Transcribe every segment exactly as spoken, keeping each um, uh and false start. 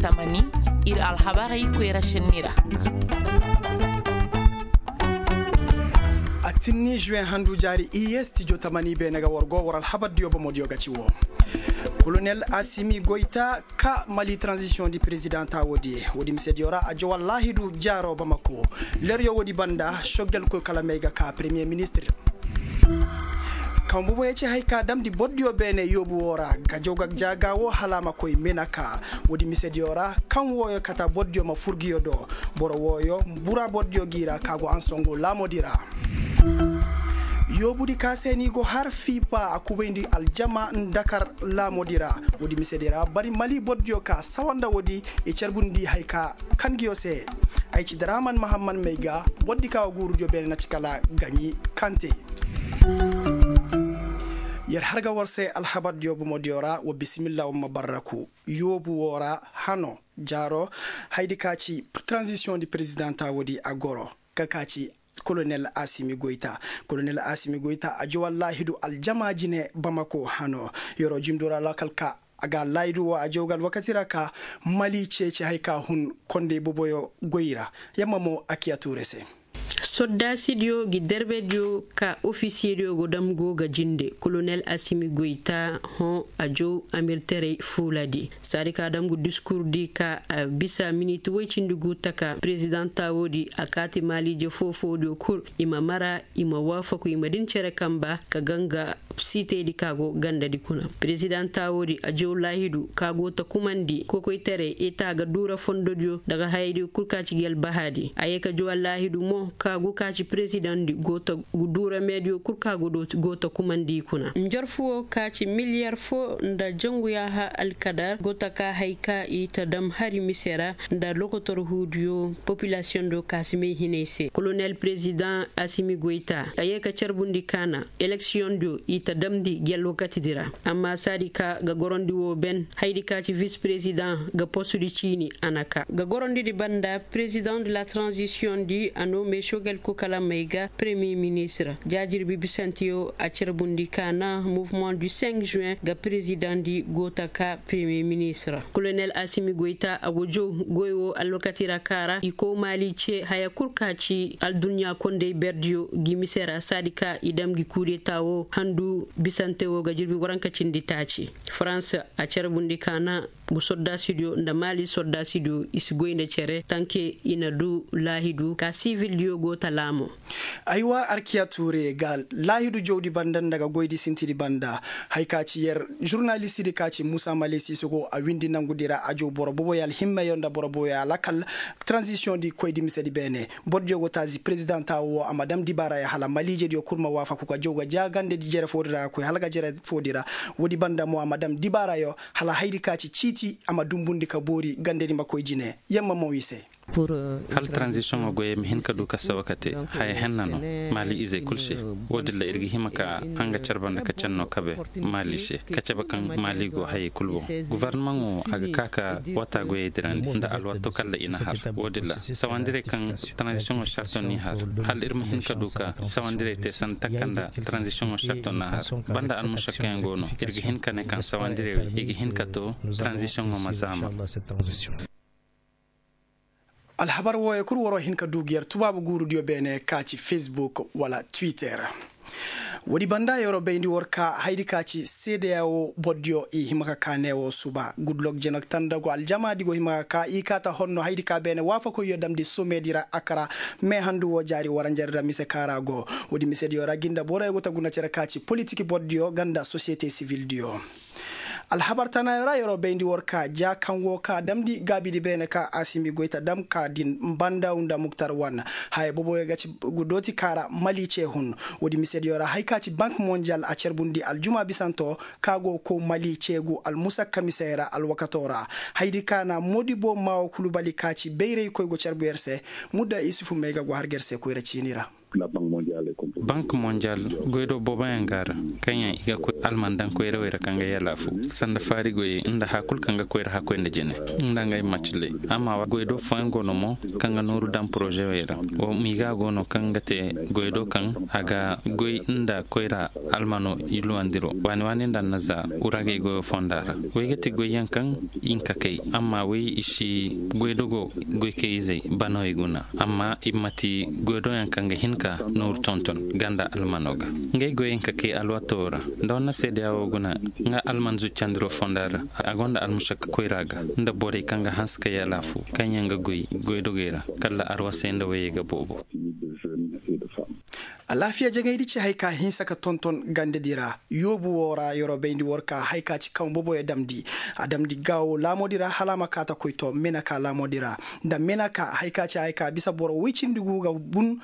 Tamani, ir alhabarey koyra šenni ra. A tinni juwen handu jaari iye stijo tamani beene ga war go war alhabardiyo bomodiyo ga ci wo. Kolonel asimi goyta ka mali tranzisiyoŋ di perezidaŋ ta woodi. Woodi misediyo ra a jowa laahidu jaaro bamako. Leryo woodi banda sogel koy kala may ga ka peremiye ministir. Kaŋ boboyo ci hay ka damndi bordiyo beene yoobu wo ra ga jow ga jaaga wo hala a ma koy menaka. Woodi misediyo ra kaŋ wooyo kata bordiyo ma fur ngiyo do. Boro wooyo bura bordiyo g'i ra ka go ansongo laamodi ra. Yoobudi ka se ni go har fiipa a kubayndi aljama ndakar laamodi ra. Woodi misedi ra bari mali bordiyo ka sawa nda woodi i carbundi hay ka kan ngiyo se. Ay ci draman mahamman may ga bordi ka wa guurudiyo beene na ci kala gaɲi kante. Yer har ga war se alhabardiyo bomodiyo ra wa bisimilla wa ma barraku. Yoobu wo ra hano jaaro haydi ka ci tranzisiyoŋ di perezidaŋ ta woodi a goro. Ka ka ci kolonel asimi goyta. Kolonel asimi goyta a jowa laahidu aljama jine bamako hano. Yer'o jimdo ra lakkal ka a ga laahidu wo a jow ga alwakati ra ka mali ceeci hay ka hun kondey boboyo goy ra. Yamma mo a kiya tuure se. Sordaasidiyo ngi derbediyo ka ofisiyediyo go dam go ga jinde kolonel asimi goyta. Hõ a jow amirterey fuuladi saadi ka dam ngu diskurdi ka a bisa miniti woy cindi gu taka perezidaŋ taawoodi a kaati maaliije foo-foodiyo kul i ma mara i ma waafaku i ma din cere kamba ka ganga siitaydi ka go gandadi kuna. Perezidaŋ taawoodi a jow laahidu ka go ta kumandi kokoytaray eta ga duura fondodiyo daga hayaydiyo kul ka ci gi albahaadi a ye ka jow allaahidu mo ka go ka ci perezidaŋdi go ta duura meediyo kul ka go ta kumandi i kuna njorfu wo ka ci miliyar foo nda jangu yaaha alkadar go ta ka hay ka i ta dam hari mise ra nda lokotor huudiyo popilasiyoŋ do ka si may hinay se kolonel perezidaŋ asimi goyta a ye ka carbundi kaana eleksiyoŋ do i ta damndi gi alwakatidi ra. Amma saadi ka ga gorondi woo ben haydi ka ci vis perezidaŋ ga postudi ciini a na kaa ga gorondidi banda perezidaŋ de la tranzisiyoŋdi a noo meesogel ko kala may ga peremiye ministir jaajirbi bisanteyo a carbundi kaana muvumaŋ du senk juwen ga perezidaŋdi go ta kaa peremiye ministir. Kolonel asimi goyta a go jow goy woo alwakati ra kaa ra i kow maali cee haya kul ka ci alduɲɲa kondey berdiyo gi mise ra saadi ka i dam gi kuudetaa woo handu bisante woo ga jirbi waranka cindi taaci farans a carbundi kaana ngu sordaasidiyo nda maali sordaasidiyo i si goy nda cere tanke i na duu laahidu ka sivildiyo go ta laamo. Aywa arkiya tuure ga laahidu jowdi banda nda ga goydi sintidi banda. Hay ka ci yer žurnalistidi ka ci muusa malesi sogo a windi nangudi ra a jow boro boboyo alhimmeyo nda boro boboyo alakal. Tranzisiyoŋdi koydi misedi beene bordiyo go taazi perezidaŋ taawo wo a ma dam dibaarayo hala maliijediyo kul ma waafaku ga jow ga jaagandedi jere foodi ra ga koy hala ga jere foodi ra. Woodi banda mo a ma dam dibaarayo hala haydi ka ci ciiti a ma dunbundi ka boori gandedi ma koy jine. Yamma mo i se. Hala taranzisiyoŋo goyey ma hin ka du ka sawa ka te haya henna no maali izey kul se. Woodin ra ir ga hima ka hanga care banda ka canno kabe maali se ka cabe kaŋ maali go hayey kul boŋ. Gofornomaŋo a ga ka ka wata goyey dirandi nda alwaato kaŋ ra i na har. Woodin ra sawandirey kaŋ taranzisiyoŋo sarto n'i har hala ir ma hin ka du ka sawandirey te sanda taka nda taranzisiyoŋo sarto n'a har. Banda almušakkayaŋ go no ir ga hin ka ne kaŋ sawandirey wey i ga hin ka to taranzisiyoŋo ma zaama. Alhabar wooyo kul waroo hin ka du ga yer tubaabu guurudiyo beene ka ci fesbuk wala twitter. Woodi banda yeroo bayndi war ka haydi ka ci seedeya woo bordiyo i hima ka kaa ne woo suba gudlok jenek tandago aljamaadi go hima ka kaa i kaata honno haydi ka beene waafakoyyo damndi someedi ra a kara. Mee handu woo jaari waranjari ra mise ka ra go. Woodi misediyo ra gi nda boroyo go ta guna cere ka ci politik bordiyo ga nda sosiyete sivildiyo. Alhabar tanaayo ra yeroo bayndi war ka ja kaŋ go ka damndi gaabidi beene ka asimi goy ta dam ka din mbandaw nda muktar wan. Haya boboyo ga ci gu dooti ka ra mali cee hun. Woodi misediyo ra hay ka ci bank monjal a carbundi aljuma bisanto ka go kow mali ceegu almusakka misey ra alwakatoo ra. Haydi ka na modibo maawo kulubali ka ci bayraykoy go carbu yer se. Mudda isufu may ga go har ga yer se koyra ciini ra. Bank mondial goy do booboyaŋ ga a ra, kaŋ yaŋ i ga koy alman daŋ koyrawey ra kaŋ ga yalaafu sanda faari goyey nda haya kulu kaŋ ga koyra hakkoy nda jine nda ngey maciley. Amma goy do fooyaŋ go no mo kaŋ ga nooru daŋ porozewey ra. Wo miga go no kaŋ ga te goy do kaŋ a ga goy nda koyra almano i luwandiro waani waani nda annaza uragey goyo fonda ra. Wey ga ti goyyaŋ kaŋ i nka kay, amma wey i si goydogo goykayizey banawey guna. Amma i ma ti goydoyaŋ kaŋ ga hin ka nooru tonton ganda almano ga. Ngey goyey nka kay alwato ra nda wanna seedeya wo guna nga alman zuccandiro fonda ra. A gonda almušakka koyra ga nda borey kaŋ ga hanse ka yalaafu kaŋ yaŋ ga goy goydogey ra kala arwasey nda wayey ga boobo. Alaafiya jagaydi ci hay ka hinsa ka tonton gandedi ra. Yoobu wo ra yeroo bayndi war ka hay ka ci kaŋ boboyo damndi. A damndi gaawo laamodi ra hala a ma kaa ta koy to menaka laamodi ra. Nda menaka hay ka ci hay ka bisa boro woy cindi gu ga bun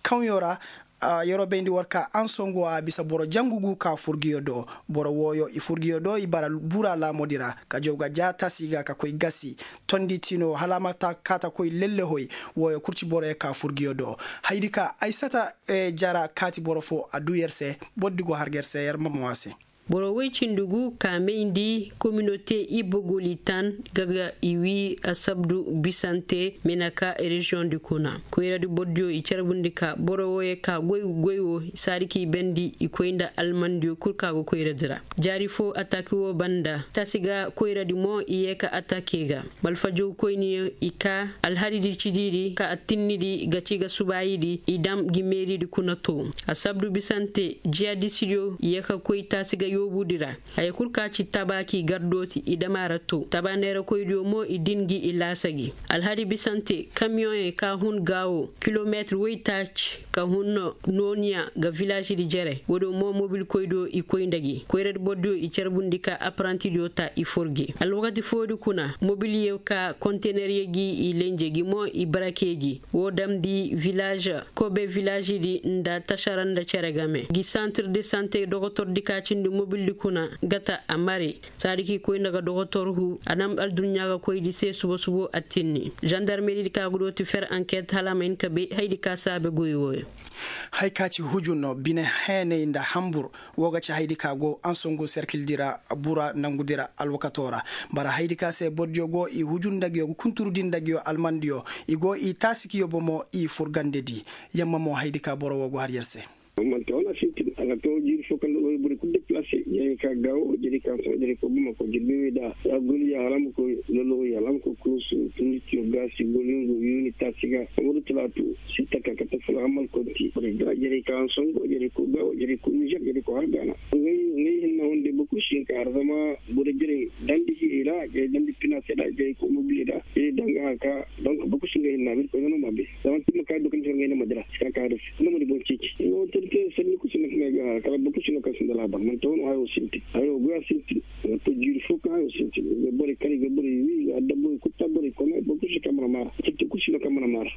kaŋyo ra. Yeroo bayndi war ka ansongo a bisa boro jangu gu ka furgiyo do. Boro wooyo i furgiyo do i bara bura laamodi ra ka jaw ga ja tasi ga ka koy gasi. Tondi tino hala a ma kaa ta koy lellehoy. Wooyo kul ci boroyo ka furgiyo do. Haydi ka ay sata jara kaati boro fo a du yer se. Bordi go har ga yer se yer ma mo a se. Boro woy cindi gu ka mayndi kominote ibogolitan ga ga i wi asabdu bisante menaka reziyoŋ di kuna koyradi bordiyo i carbundi ka boro woyo ka goy goy wo saadi k'i bendi i koy nda almandiyo kul ka go koyradi ra. Jaari fo ataki wo banda tasi ga koyradi mo i ye ka atake ga. Malfajow koyniyo i ka alhadidi cidiri ka attinnidi ga ci ga subaayidi i dam gi meeridi kuna to. Asabdu bisante jiyadisidiyo ye ka koy taasi ga yoobudi ra. Haya kul ka ci tabaaki gardooti i dam a ra to taba neerakoydiyo mo i din gi i laasa gi. Alhadi bisante kamiyoŋey ka hun gaawo kilometir woytaaci ka hun nooniya ga vilaazidi jere woodiyo mo mobilkoydiyo i koy nda gi koyradi bordiyo i carbundi ka apparantidiyo ta i forge alwakati foodi kuna mobiliyo ka konteneryo gi i lenje gi mo i barake gi. Wo damndi vilaaž kobe vilaazidi nda tasara nda cere game gi santir de sante dogotordi ka cindi mobildi kuna ga ta a mare. Saadi k'i koy nda ga dogotor hu a nam alduɲɲa ga koydi se suba subo attinni žandarmeridi ka ga dooti fer anket hala a ma hin ka bay haydi ka saabe goy wooyo. Hay ka ci hujun bine heenay nda hambur wo ga ci haydi ka go ansongu serkildi ra bura nangudi ra alwakato ra. Bara haydi ka se bordiyo go i hujun nda nguyo ga kunturudi nda nguyo almandiyo i go i taasi ka yobo mo i furgandedi. Yamma mo haydi ka boro wo go har yer se. Manti wana sintin a ga to jiiri fo kaŋ da goy boro kulu deplase jarey ka gaawo jarey ka sohõ jarey ka bamako jirbi wey da ya goliya hala ma koy loloya hala ma koy kunusu tunditiyo gaasi golingo yuuni taasi ga. Wala talaatu sitta ka kate fula hamal konti borey da jarey ka hansongo jarey ko gaawo jarey ko nizer jarey ko har gaana. Ngey hinna hunday boro kulu si hin ka har zama boro jarey dandi hiyey ra jarey dandi pinaase ra jarey ko mobiley ra jarey danga haka. Donk boro kulu si nga hinna biri koy no ma bay zama ti ma kay dokon ti nga hinna ma dira si ka ka dasi no ma di boŋ ceeci no tirke sanni kulu si no ka nga ga kala boro kulu si no ka sinda laabar man tawo no hayo sinti hayo goya sinti. Wato jiiri fo ka hayo sinti ga bore kari ga bore wi ga dabbo kutta bore kono boro kulu si ka mana mara tirke kulu si no ka mana mara.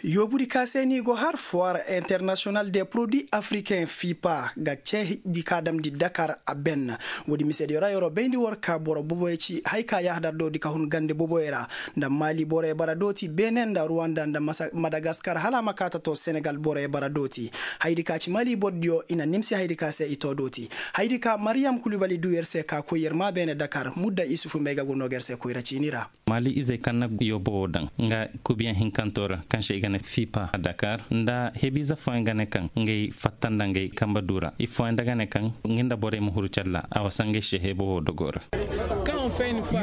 Yoobudi ka se ni go har foire international de produit africain fipa ga ce di ka damdi dakar a ben. Woodi misediyo ra yeroo bayndi war ka boro boboyo ci hay ka yahadar do di ka hun gande boboyo ra. Nda maali boroyo bara dooti benin nda ruwanda nda madagaskar hala a ma kaa ta to senegal boroyo bara dooti. Haydi ka ci maali borodiyo i na nimsi haydi ka se i to dooti. Haydi ka mariyam kulubali du yer se ka koy yer maa beene dakar mudda isufu may ga go no ga yer se koyra ciini ra. Maali izey kaŋ na yoobo wo daŋ nga kubiyaŋ hinkanto ra kaŋ se i ga ne fipa dakar nda hebiize fooyaŋ ga ne kaŋ ngey fatta nda ngey kambe du ra i fooyaŋ da ga ne kaŋ nga nda borey ma huru calla a wasa ngey se heebo wo dogo ra.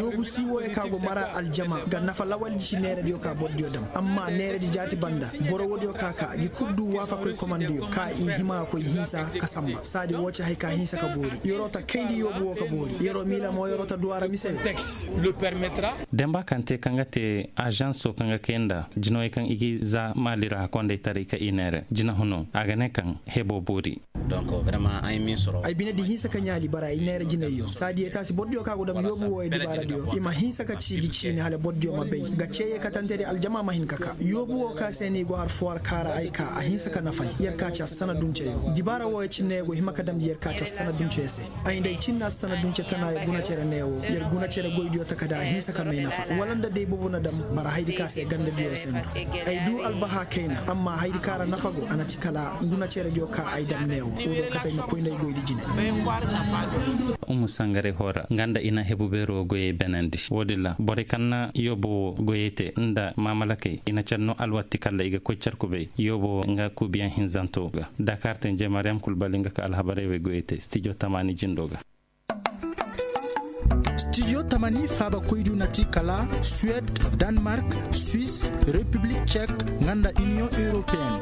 Yoobu si wooyo ka go mara aljama ga nafa lawaldi ci neerediyo ka borodiyo daŋ amma neeredi jaati banda boro woodiyo ka ka gi kul du waafakoy komandiyo ka i hima koy hinsa ka samba saadi woo ci hay ka hinsa ka boori yeroo ta kayndi yoobu woo ka boori yeroo miila mo yeroo ta duwaa ra mise. Demba kaŋ te kaŋ ga te ažanso kaŋ ga kay nda jinawey kaŋ i ga i za maali ra hakondey taray ka i neere jinahuno a ga ne kaŋ hebo boori. Ay bine di hinsa ka ɲaali bara i neera jinayyo saadiya taasi bordiyo ka go dam yoobu wooyo dibaaradiyo i ma hinsa ka ciiji ciini hala bordiyo ma bay ga ceeye katantedi aljama ma hin ka ka yoobu woo ka se no i go har fuwar kaara ay ka a hinsa ka nafay yer ka ci assana dunceyo dibaara wooyo cinne yer go hima ka damndi yer ka ci assana dunceyo se. Ay nda ay cinna assana dunce tanaayo guna cere neewo yer guna cere goydiyo taka da a hinsa ka may nafa wala nda day boobo na dam bara haydi ka se gandadiyo sendu. Ay du albaha kayna amma haydi ka ra nafa go a na ci kala guna cerediyo ka ay dam neewo wo do kate ay ma koy nda ay goydi jine. Umu sangaray hora nga nda i na hebu beero goyey benandi woodin ra borey kaŋ na yoobo wo goyey te nda maamalakey i na car no alwatti kalla i ga koy car kubay yoobo wo nga kuubiyaŋ hinzanto ga. Dakar tenje mariyam kulbali nga ka alhabarey wey goyey te stijo tamaani jindo ga. Stijo tamani faabakoydiyo na ti kala suwed, danmark, swis, repiblik cek, nga nda iniyoŋ europeyenne.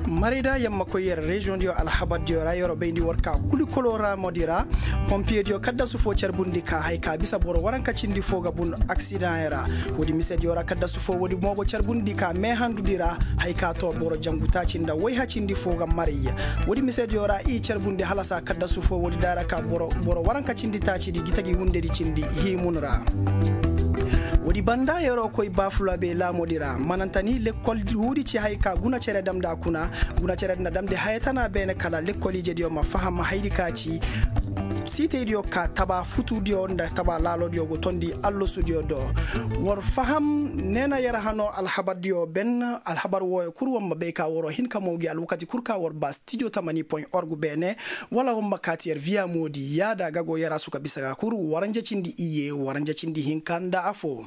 Marayda yammakoy yer reziyoŋdiyo alhabardiyo ra yer'o bayndi war ka kulikoloo raamodi ra. Pompiyediyo kaddasu foo carbundi ka hay ka bisa boro waranka cindi foo ga bun aksidaŋ ra. Woodi misediyo ra kaddasu foo woodi mo go carbundi ka meehandudi ra. Hay ka too boro jangu taaci nda wayha cindi foo ga maray. Woodi misediyo ra i carbundi halasa kaddasu foo woodi daara ka boro waranka cindi taacidi gita gi wundedi cindi hiimun ra. Woodi banda yer'o koy baafulabey laamudi ra mananta ni lekkol huudi ci hay ka guna cere damndi a kuna. Guna cere di na damndi haya tana beene kala lekkol ijediyo ma faham haydi ka ci siitaydiyo ka taba futudiyo nda taba laaloodiyo go tondi allasudiyo do. War faham neena yer hano alhabardiyo ben. Alhabar wooyo kul war ma bay ka war'o hin ka moogi alwakati kul ka war ba stijo tamani point org beene. Wala war ma kaati yer viya moodi yaada ga go yer a suka bisa ga kul waranja cindi iyye waranja cindi hinka nda afoo.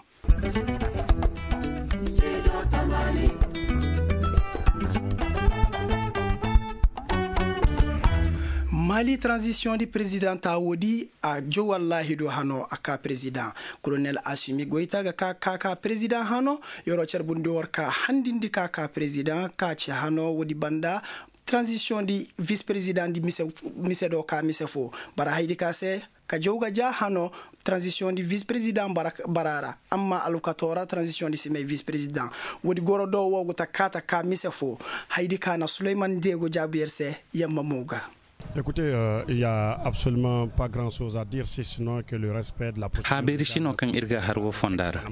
Mali tranzisiyoŋ di perezidaŋ taa woodi a jow wallaahi do hano a ka perezidaŋ. Kolonel asumi goyta ga ka ka ka perezidaŋ hano. Yer'o carbundi war ka handindi ka ka perezidaŋ ka ci hano woodi banda. Tranzisiyoŋ di vis perezidaŋ di mise do ka mise foo bara haydi ka se ka jaw ga ja hano. Tranzisiyoŋ di vis perezidaŋ bara ra amma alwakatoo ra tranzisiyoŋ di si may vis perezidaŋ. Woodi goro do woo go ta ka ta ka mise foo. Haydi ka na suleyman deego jaabu yer se. Yamma mo ga. Écoutez, il ya absolument pas grand chose à dire si sinon que le respect de la procédure. Haabeeri si no kaŋ ir ga har woo fonda ra.